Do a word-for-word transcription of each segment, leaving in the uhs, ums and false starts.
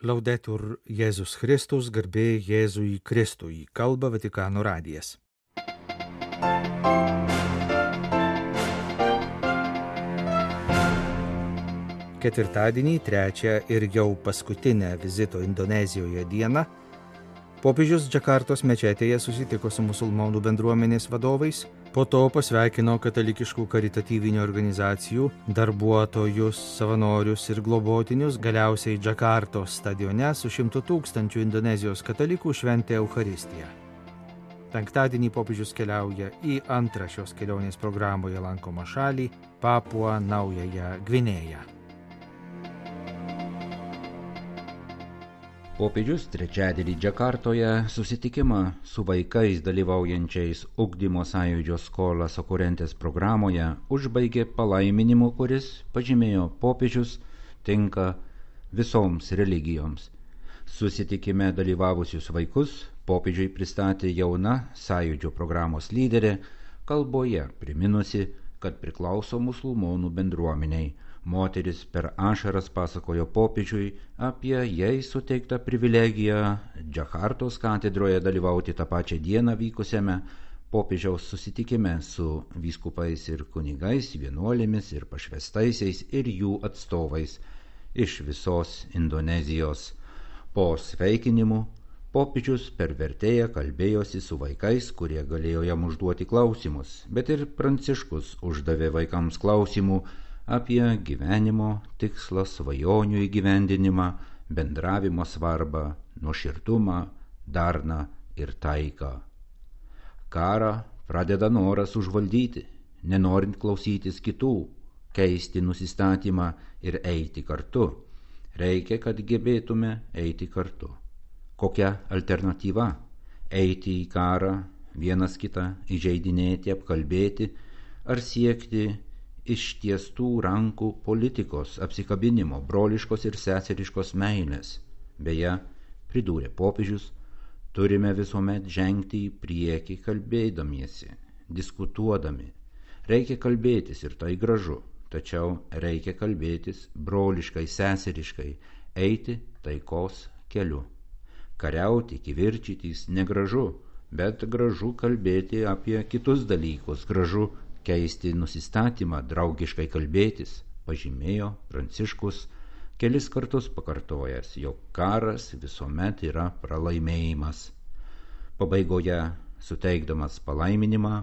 Laudetur Jėzus Kristus, garbė Jėzui Kristui, kalba Vatikano radijas. Ketvirtadienį, trečią ir jau paskutinę vizito Indonezijoje dieną, popiežius Džakartos mečetėje susitiko su musulmonų bendruomenės vadovais, po to pasveikino katalikiškų karitatyvinių organizacijų, darbuotojus, savanorius ir globotinius, galiausiai Džakartos stadione su šimtu tūkstančių Indonezijos katalikų šventė Eucharistiją. Penktadienį popiežius keliauja į antrą šios kelionės programoje lankomą šalį – Papuą Naująją Gvinėją. Popiežius trečiadienį Džakartoje susitikimą su vaikais dalyvaujančiais ugdymo sąjūdžio Skolas Okurentes programoje užbaigė palaiminimu, kuris, pažymėjo popiežius, tinka visoms religijoms. Susitikime dalyvavusius vaikus popiežiui pristatė jauna sąjūdžio programos lyderė, kalboje priminusi, kad priklauso musulmonų bendruomeniai. Moteris per ašaras pasakojo popiežiui apie jai suteiktą privilegiją Džakartos katedroje dalyvauti tą pačią dieną vykusiame popiežiaus susitikime su vyskupais ir kunigais, vienuolėmis ir pašvestaisiais ir jų atstovais iš visos Indonezijos. Po sveikinimų popiežius per vertėją kalbėjosi su vaikais, kurie galėjo jam užduoti klausimus, bet ir Pranciškus uždavė vaikams klausimų apie gyvenimo tikslą, svajonių įgyvendinimą, bendravimo svarbą, nuoširdumą, darną ir taiką. Karą pradeda noras užvaldyti, nenorint klausytis kitų, keisti nusistatymą ir eiti kartu. Reikia, kad gebėtume eiti kartu. Kokia alternatyva? Eiti į karą, vienas kitą įžeidinėti, apkalbėti ar siekti ištiestų rankų politikos, apsikabinimo, broliškos ir seseriškos meilės. Beje, pridūrė popiežius, turime visuomet žengti į priekį kalbėdamiesi, diskutuodami. Reikia kalbėtis ir tai gražu, tačiau reikia kalbėtis broliškai, seseriškai, eiti taikos keliu. Kariauti, kivirčytis negražu, bet gražu kalbėti apie kitus dalykus, gražu keisti nusistatymą, draugiškai kalbėtis, pažymėjo Pranciškus, kelis kartus pakartojęs, jog karas visuomet yra pralaimėjimas. Pabaigoje, suteikdamas palaiminimą,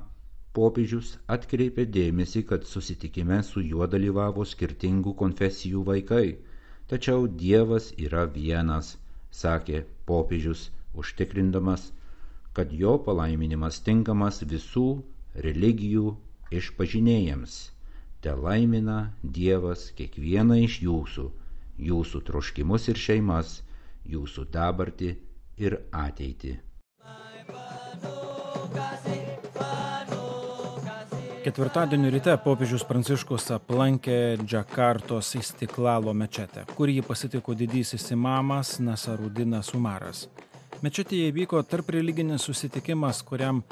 popiežius atkreipė dėmesį, kad susitikime su juo dalyvavo skirtingų konfesijų vaikai, tačiau Dievas yra vienas, sakė popiežius, užtikrindamas, kad jo palaiminimas tinkamas visų religijų išpažinėjams. Te laimina Dievas kiekvieną iš jūsų, jūsų troškimus ir šeimas, jūsų dabartį ir ateitį. Ketvirtadienio ryte popiežius Pranciškus aplankė Džakartos Istiklalo mečetę, kur jį pasitiko didysis imamas Nasarudinas Umaras. Mečetėje įvyko tarp religinis susitikimas, kuriam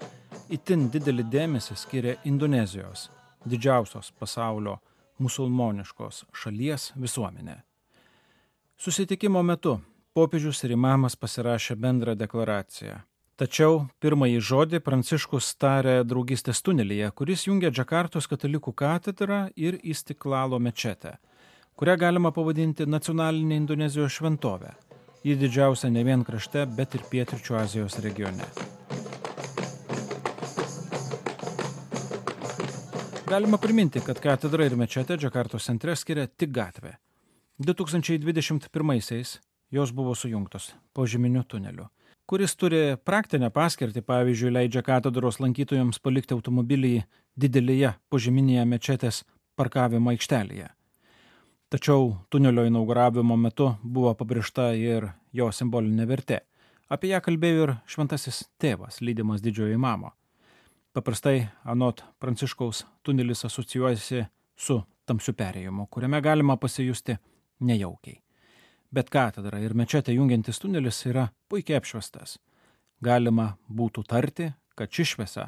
itin didelį dėmesį skiria Indonezijos, didžiausios pasaulio musulmoniškos šalies visuomenė. Susitikimo metu popiežius ir imamas pasirašė bendrą deklaraciją. Tačiau pirmąjį žodį Pranciškus tarė draugystės tunelyje, kuris jungia Džakartos katalikų katedrą ir Istiklalo mečetę, kurią galima pavadinti nacionalinė Indonezijos šventovė. Ji didžiausia ne vien krašte, bet ir pietryčių Azijos regione. Galima priminti, kad katedra ir mečetė Džakartos centre skiria tik gatvė. du tūkstančiai dvidešimt pirmaisiais jos buvo sujungtos požeminiu tuneliu, kuris turi praktinę paskirtį, pavyzdžiui, leidžia katedros lankytojams palikti automobilį didelėje požeminėje mečetės parkavimo aikštelėje. Tačiau tunelio inauguravimo metu buvo pabrėžta ir jo simbolinė vertė. Apie ją kalbėjo ir šventasis tėvas, lydimas didžiojo imamo. Paprastai, anot Pranciškaus, tunelis asocijuojasi su tamsiu perėjimu, kuriame galima pasijusti nejaukiai. Bet katedra ir mečetė jungiantis tunelis yra puikiai apšviestas. Galima būtų tarti, kad ši šviesa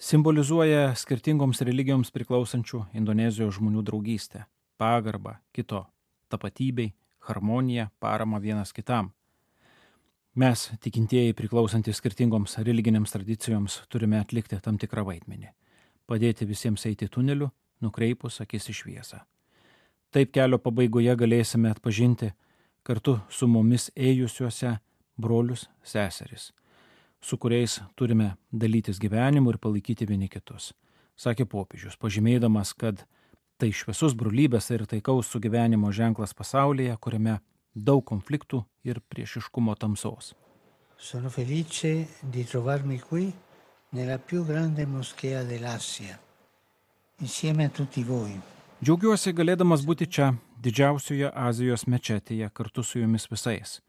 simbolizuoja skirtingoms religijoms priklausančių Indonezijos žmonių draugystę, pagarbą kito tapatybei, harmoniją, paramą vienas kitam. Mes, tikintieji priklausantys skirtingoms religinėms tradicijoms, turime atlikti tam tikrą vaidmenį. Padėti visiems eiti tuneliu, nukreipus akis į šviesą. Taip kelio pabaigoje galėsime atpažinti kartu su mumis ėjusiuose brolius, seseris, su kuriais turime dalytis gyvenimu ir palaikyti vieni kitus, sakė popiežius, pažymėdamas, kad tai šviesus brolybės ir taikaus sugyvenimo ženklas pasaulyje, kuriame daug konfliktų ir priešiškumo tamsos. Sono felice di trovarmi qui nella più grande moschea dell'Asia, insieme a tutti voi. Džiaugiuosi galėdamas būti čia, didžiausioje Azijos mečetėje, kartu su jumis visais,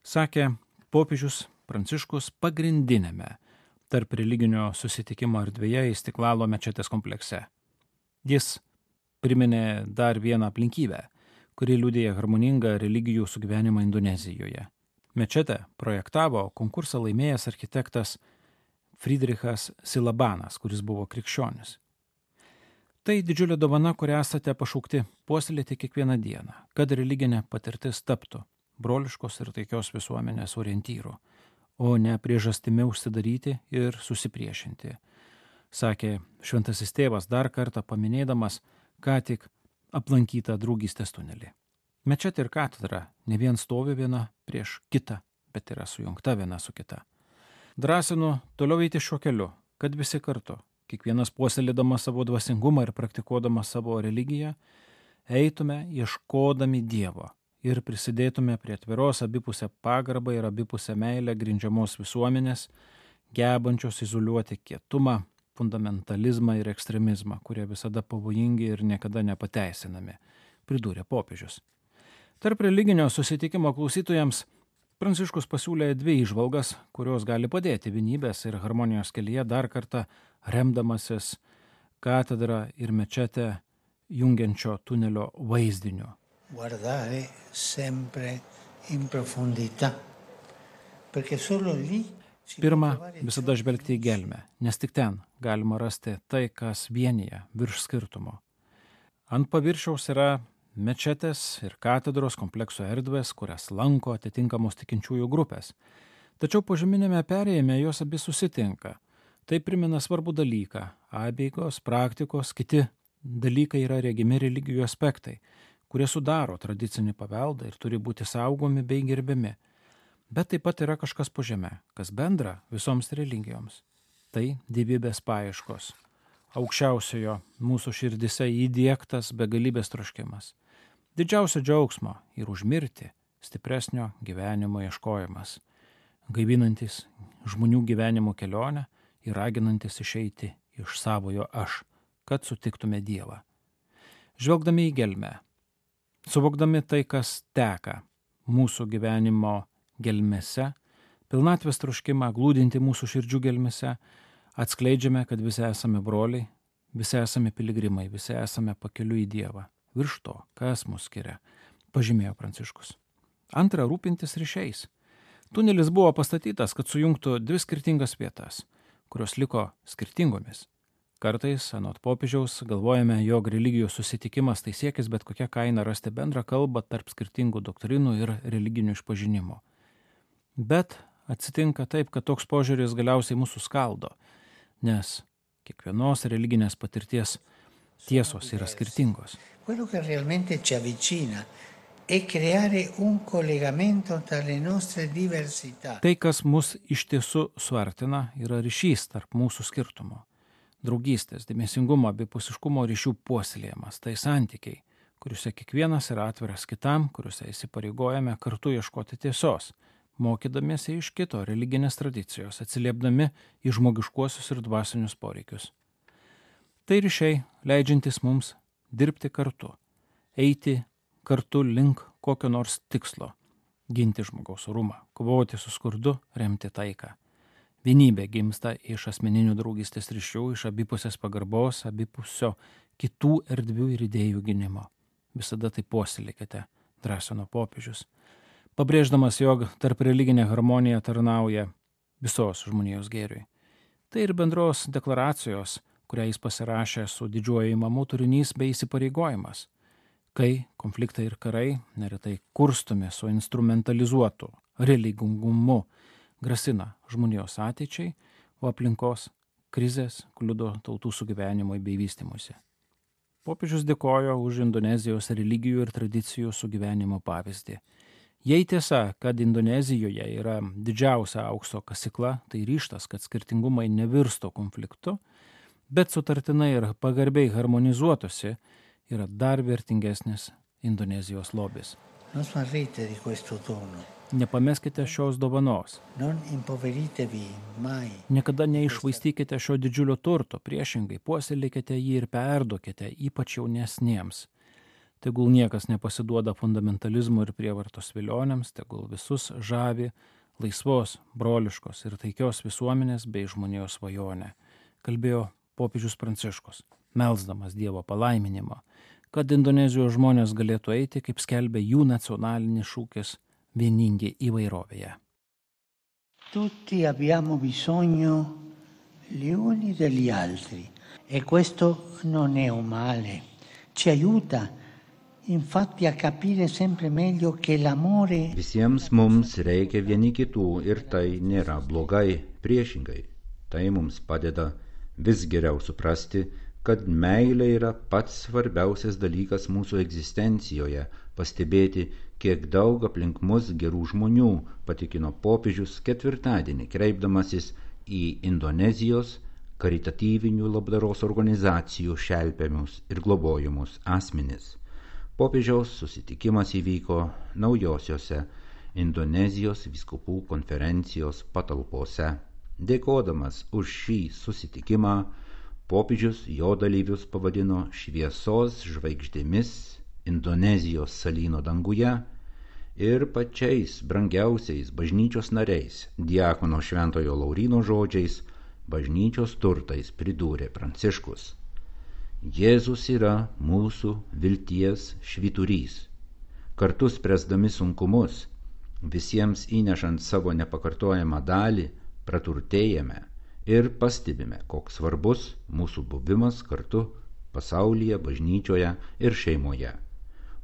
sakė popiežius Pranciškus pagrindinėme tarp religinio susitikimo erdvėje Istiklalo mečetės komplekse. Jis priminė dar vieną aplinkybę, kuri liudija harmoningą religijų sugyvenimą Indonezijoje. Mečetę projektavo konkursą laimėjęs architektas Friedrichas Silabanas, kuris buvo krikščionis. Tai didžiulė dovana, kurią esate pašaukti puoselėti kiekvieną dieną, kad religinė patirtis taptų broliškos ir taikios visuomenės orientyru, o ne priežastimi užsidaryti ir susipriešinti, sakė šventasis tėvas dar kartą paminėdamas ką tik aplankytą draugystės tunelį. Mečetė ir katedra ne vien stovi viena prieš kitą, bet yra sujungta viena su kita. Drąsinu toliau eiti šiuo keliu, kad visi kartu, kiekvienas puoselėdamas savo dvasingumą ir praktikuodamas savo religiją, eitume ieškodami Dievo ir prisidėtume prie atviros abipusę pagarbą ir abipusę meilę grindžiamos visuomenės, gebančios izoliuoti kietumą, fundamentalizmą ir ekstremizmą, kurie visada pavojingi ir niekada nepateisinami, pridūrė popiežius. Tarp religinio susitikimo klausytojams Pranciškus pasiūlė dvi įžvalgas, kurios gali padėti vienybės ir harmonijos kelyje dar kartą remdamasis katedrą ir mečetę jungiančio tunelio vaizdiniu. Guardare sempre in profondità, perché solo lì Pirma, visada žvelgti į gelmę, nes tik ten galima rasti tai, kas vienyje virš skirtumo. Ant paviršiaus yra mečetės ir katedros komplekso erdvės, kurias lanko atitinkamos tikinčiųjų grupės. Tačiau požeminėme perėjime jos abi susitinka. Tai primena svarbų dalyką. Apeigos, praktikos, kiti dalykai yra regimi religijų aspektai, kurie sudaro tradicinį paveldą ir turi būti saugomi bei gerbiami. Bet taip pat yra kažkas po žeme, kas bendra visoms religijoms. Tai dievybės paieškos. Aukščiausiojo mūsų širdise įdiegtas begalybės troškimas. Didžiausio džiaugsmo ir užmirti stipresnio gyvenimo ieškojimas. Gaivinantis žmonių gyvenimo kelionę ir raginantis išeiti iš savojo aš, kad sutiktume Dievą. Žvelgdami į gelmę, suvokdami tai, kas teka mūsų gyvenimo gelmėse, pilnatvės troškimą glūdinti mūsų širdžių gelmėse, atskleidžiame, kad visi esame broliai, visi esame piligrimai, visi esame pakeliui į Dievą. Virš to, kas mus skiria, pažymėjo Pranciškus. Antra, rūpintis ryšiais. Tunelis buvo pastatytas, kad sujungtų dvi skirtingas vietas, kurios liko skirtingomis. Kartais, anot popiežiaus, galvojame, jog religijų susitikimas tai siekis bet kokia kaina rasti bendrą kalbą tarp skirtingų doktrinų ir religinių išpažinimų. Bet atsitinka taip, kad toks požiūris galiausiai mūsų skaldo, nes kiekvienos religinės patirties tiesos yra skirtingos. Quello che realmente ci avvicina è creare un collegamento tra le nostre diversità. Tai, kas mus iš tiesų suartina, yra ryšys tarp mūsų skirtumų. Draugystės, dėmesingumo, abipusiškumo ryšių puoselėjimas, tai santykiai, kuriuose kiekvienas yra atviras kitam, kuriuose įsipareigojame kartu ieškoti tiesos, mokydamiesi iš kito religinės tradicijos, atsiliepdami į žmogiškuosius ir dvasinius poreikius. Tai ryšiai, leidžiantis mums dirbti kartu, eiti kartu link kokio nors tikslo, ginti žmogaus orumą, kovoti su skurdu, remti taiką. Vienybė gimsta iš asmeninių draugystės ryšių, iš abipusės pagarbos, abipusio kitų erdvių ir idėjų gynimo. Visada tai puoselėkite, drąsino popiežius, pabrėždamas, jog tarp religinė harmonija tarnauja visos žmonijos gėriui. Tai ir bendros deklaracijos, kurią jis pasirašė su didžiuoju imamu turinys bei įsipareigojimas, kai konfliktai ir karai neretai kurstomi su instrumentalizuotu religingumu grasina žmonijos ateičiai, o aplinkos krizės kliudo tautų sugyvenimui bei vystymuisi. Popiežius dėkojo už Indonezijos religijų ir tradicijų sugyvenimo pavyzdį. Jei tiesa, kad Indonezijoje yra didžiausia aukso kasykla, tai ryžtas, kad skirtingumai nevirsto konfliktu, bet sutartinai ir pagarbiai harmonizuotųsi, yra dar vertingesnis Indonezijos lobis. Non smarrite di questo dono. Nepameskite šios dovanos. Non impoveritevi mai. Niekada neišvaistykite šio didžiulio turto, priešingai puoselėkite jį ir perduokite, ypač jaunesniems. Tegul niekas nepasiduoda fundamentalizmų ir prievartos vilionėms, tegul visus žavi laisvos, broliškos ir taikios visuomenės bei žmonijos svajonė, kalbėjo popiežius Pranciškus, melsdamas Dievo palaiminimo, kad Indonezijos žmonės galėtų eiti, kaip skelbia jų nacionalinis šūkis, vieningi įvairovėje. Tutti abbiamo bisogno gli uni degli altri e questo non è un male. Ci aiuta infatti a capire sempre meglio che l'amore. Visiems mums reikia vieni kitų ir tai nėra blogai, priešingai. Tai mums padeda vis geriau suprasti, kad meilė yra pats svarbiausias dalykas mūsų egzistencijoje, pastebėti, kiek daug aplink mus gerų žmonių, patikino popiežius ketvirtadienį, kreipdamasis į Indonezijos karitatyvinių labdaros organizacijų šelpiamus ir globojimus asmenis. Popiežiaus susitikimas įvyko naujosiose Indonezijos vyskupų konferencijos patalpose. Dėkodamas už šį susitikimą, popiežius jo dalyvius pavadino šviesos žvaigždėmis Indonezijos salyno danguje ir pačiais brangiausiais bažnyčios nariais, diakono Šventojo Lauryno žodžiais, bažnyčios turtais pridūrė Pranciškus. Jėzus yra mūsų vilties švyturys. Kartu spręsdami sunkumus, visiems įnešant savo nepakartojamą dalį, praturtėjame ir pastebime, koks svarbus mūsų buvimas kartu pasaulyje, bažnyčioje ir šeimoje.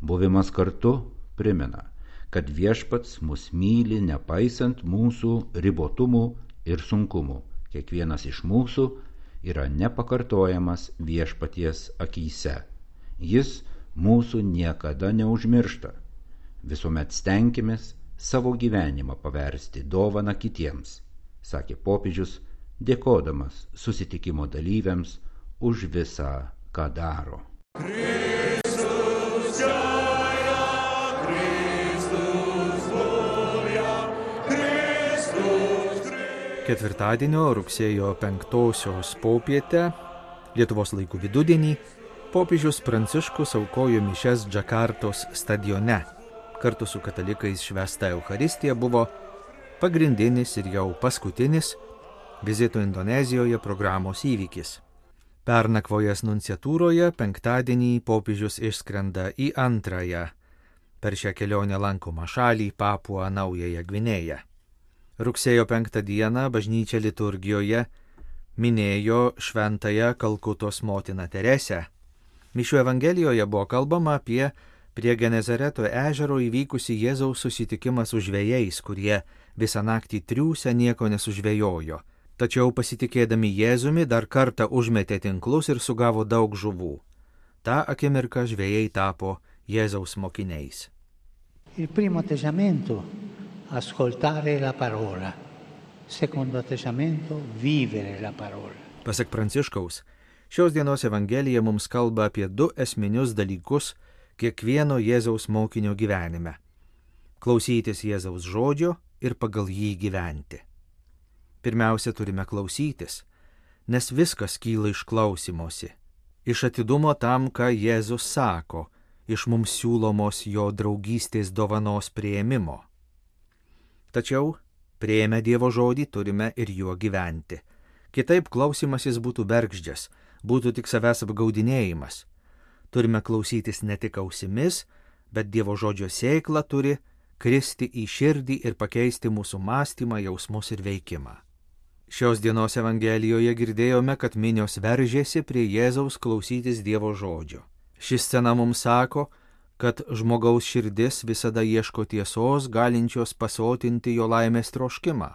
Buvimas kartu primena, kad viešpats mus myli nepaisant mūsų ribotumų ir sunkumų. Kiekvienas iš mūsų yra nepakartojamas viešpaties akyse. Jis mūsų niekada neužmiršta. Visuomet stenkimės savo gyvenimą paversti dovaną kitiems, sakė popiežius, dėkodamas susitikimo dalyviams už visą, ką daro. Kristus džiaja, Kristus gloria, Kristus Kristus. Ketvirtadienio rugsėjo penktosios popietę, Lietuvos laikų vidudienį, popiežius Pranciškus aukojo mišias Džakartos stadione. Kartu su katalikais švęsta Eucharistija buvo pagrindinis ir jau paskutinis vizito Indonezijoje programos įvykis. Pernakvojęs nunciatūroje penktadienį popiežius išskrenda į antrąją per šią kelionę lankomą šalį Papuą Naująją Gvinėją. Rugsėjo penktą dieną bažnyčia liturgijoje minėjo šventąją Kalkutos motiną Teresę. Mišių evangelijoje buvo kalbama apie prie Genezareto ežero įvykusi Jėzaus susitikimą su žvejais, kurie visą naktį triūsę nieko nesužvejojo. Tačiau pasitikėdami Jėzumi dar kartą užmetė tinklus ir sugavo daug žuvų. Ta akimirka žvejai tapo Jėzaus mokiniais. Il primo atteggiamento ascoltare la parola. Secondo atteggiamento vivere la parola. Pasak Pranciškaus, šios dienos evangelija mums kalba apie du esminius dalykus kiekvieno Jėzaus mokinio gyvenime. Klausytis Jėzaus žodžio ir pagal jį gyventi. Pirmiausia, turime klausytis, nes viskas kyla iš klausymosi, iš atidumo tam, ką Jėzus sako, iš mums siūlomos jo draugystės dovanos priėmimo. Tačiau, priėmę Dievo žodį, turime ir juo gyventi. Kitaip klausymasis būtų bergždžias, būtų tik savęs apgaudinėjimas. Turime klausytis ne tik ausimis, bet Dievo žodžio sėkla turi kristi į širdį ir pakeisti mūsų mąstymą, jausmus ir veikimą. Šios dienos evangelijoje girdėjome, kad minios veržėsi prie Jėzaus klausytis Dievo žodžio. Ši scena mums sako, kad žmogaus širdis visada ieško tiesos, galinčios pasotinti jo laimės troškimą.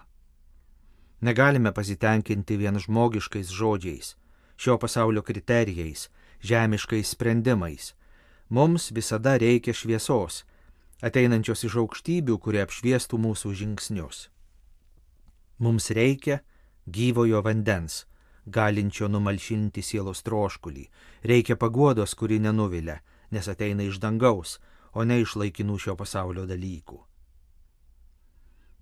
Negalime pasitenkinti vien žmogiškais žodžiais, šio pasaulio kriterijais, žemiškais sprendimais. Mums visada reikia šviesos, ateinančios iš aukštybių, kurie apšviestų mūsų žingsnius. Mums reikia gyvojo vandens, galinčio numalšinti sielos troškulį. Reikia paguodos, kuri nenuvilia, nes ateina iš dangaus, o ne iš laikinų šio pasaulio dalykų.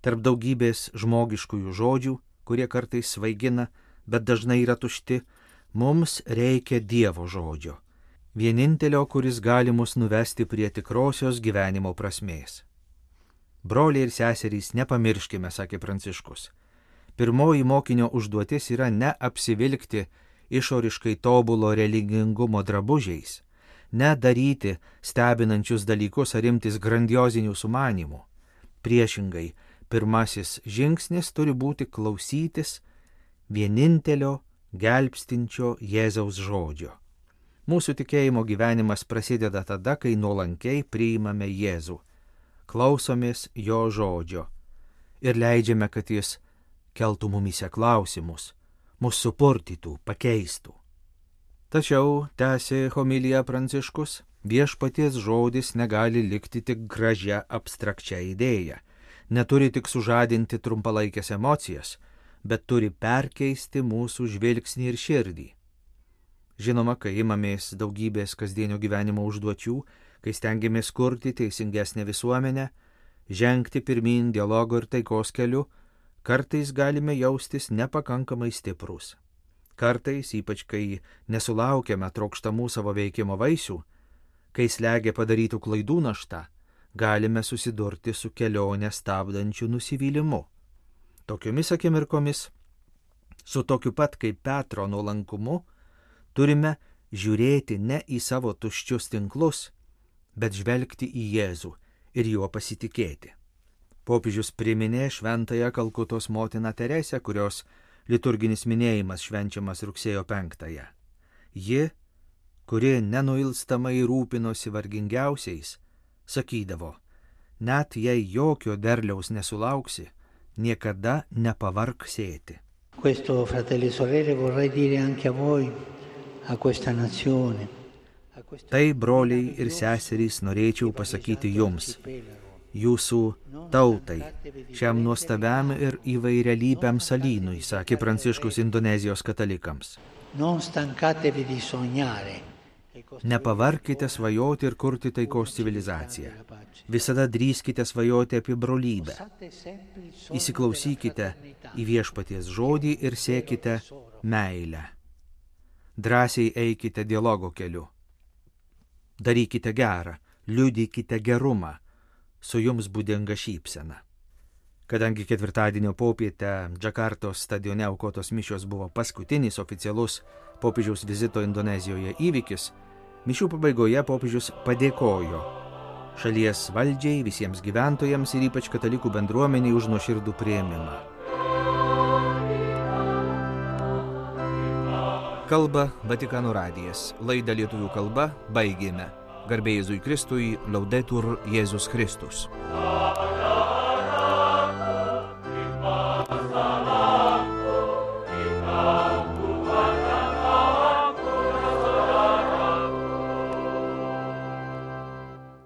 Tarp daugybės žmogiškųjų žodžių, kurie kartais svaigina, bet dažnai yra tušti, mums reikia Dievo žodžio, vienintelio, kuris gali mus nuvesti prie tikrosios gyvenimo prasmės. Broliai ir seserys, nepamirškime, sakė Pranciškus. Pirmoji mokinio užduotis yra ne apsivilkti išoriškai tobulo religingumo drabužiais, ne daryti stebinančius dalykus ar imtis grandiozinių sumanimų. Priešingai, pirmasis žingsnis turi būti klausytis vienintelio gelbstinčio Jėzaus žodžio. Mūsų tikėjimo gyvenimas prasideda tada, kai nuolankiai priimame Jėzų, klausomės jo žodžio ir leidžiame, kad jis keltų mumyse klausimus, mus supurtytų, pakeistų. Tačiau, tęsė homilija Pranciškus, viešpaties žodis negali likti tik gražia abstrakčia idėja, neturi tik sužadinti trumpalaikės emocijas, bet turi perkeisti mūsų žvilgsnį ir širdį. Žinoma, kai imamės daugybės kasdienio gyvenimo užduočių, kai stengiamės kurti teisingesnę visuomenę, žengti pirmyn dialogo ir taikos keliu, kartais galime jaustis nepakankamai stiprus. Kartais, ypač kai nesulaukiame trokštamų savo veikimo vaisių, kai slegia padarytų klaidų našta, galime susidurti su kelionę stabdančiu nusivylimu. Tokiomis akimirkomis, su tokiu pat kaip Petro nuolankumu, turime žiūrėti ne į savo tuščius tinklus, bet žvelgti į Jėzų ir juo pasitikėti. Popiežius priminė šventąją Kalkutos motiną Teresę, kurios liturginis minėjimas švenčiamas rugsėjo penktąją. Ji, kuri nenuilstamai rūpinosi vargingiausiais, sakydavo, net jei jokio derliaus nesulauksi, niekada nepavark sėti. Questo, fratelli e sorelle, vorrei dire anche a voi, a questa nazione. Tai, broliai ir seserys, norėčiau pasakyti jums, jūsų tautai, šiam nuostabiam ir įvairialypiam salynui, sakė Pranciškus Indonezijos katalikams. Nepavarkite svajoti ir kurti taikos civilizaciją. Visada drįskite svajoti apie brolybę. Įsiklausykite į viešpaties žodį ir sėkite meilę. Drąsiai eikite dialogo keliu. Darykite gerą, liudykite gerumą, su jums būdinga šypsena. Kadangi ketvirtadienio popietę Džakartos stadione aukotos mišios buvo paskutinis oficialus popiežiaus vizito Indonezijoje įvykis, mišių pabaigoje popiežius padėkojo šalies valdžiai, visiems gyventojams ir ypač katalikų bendruomeniai už nuoširdų priėmimą. Kalba Vatikano radijas. Laidą lietuvių kalba baigėme. Garbė Jėzui Kristui, Laudetur Jėzus Kristus.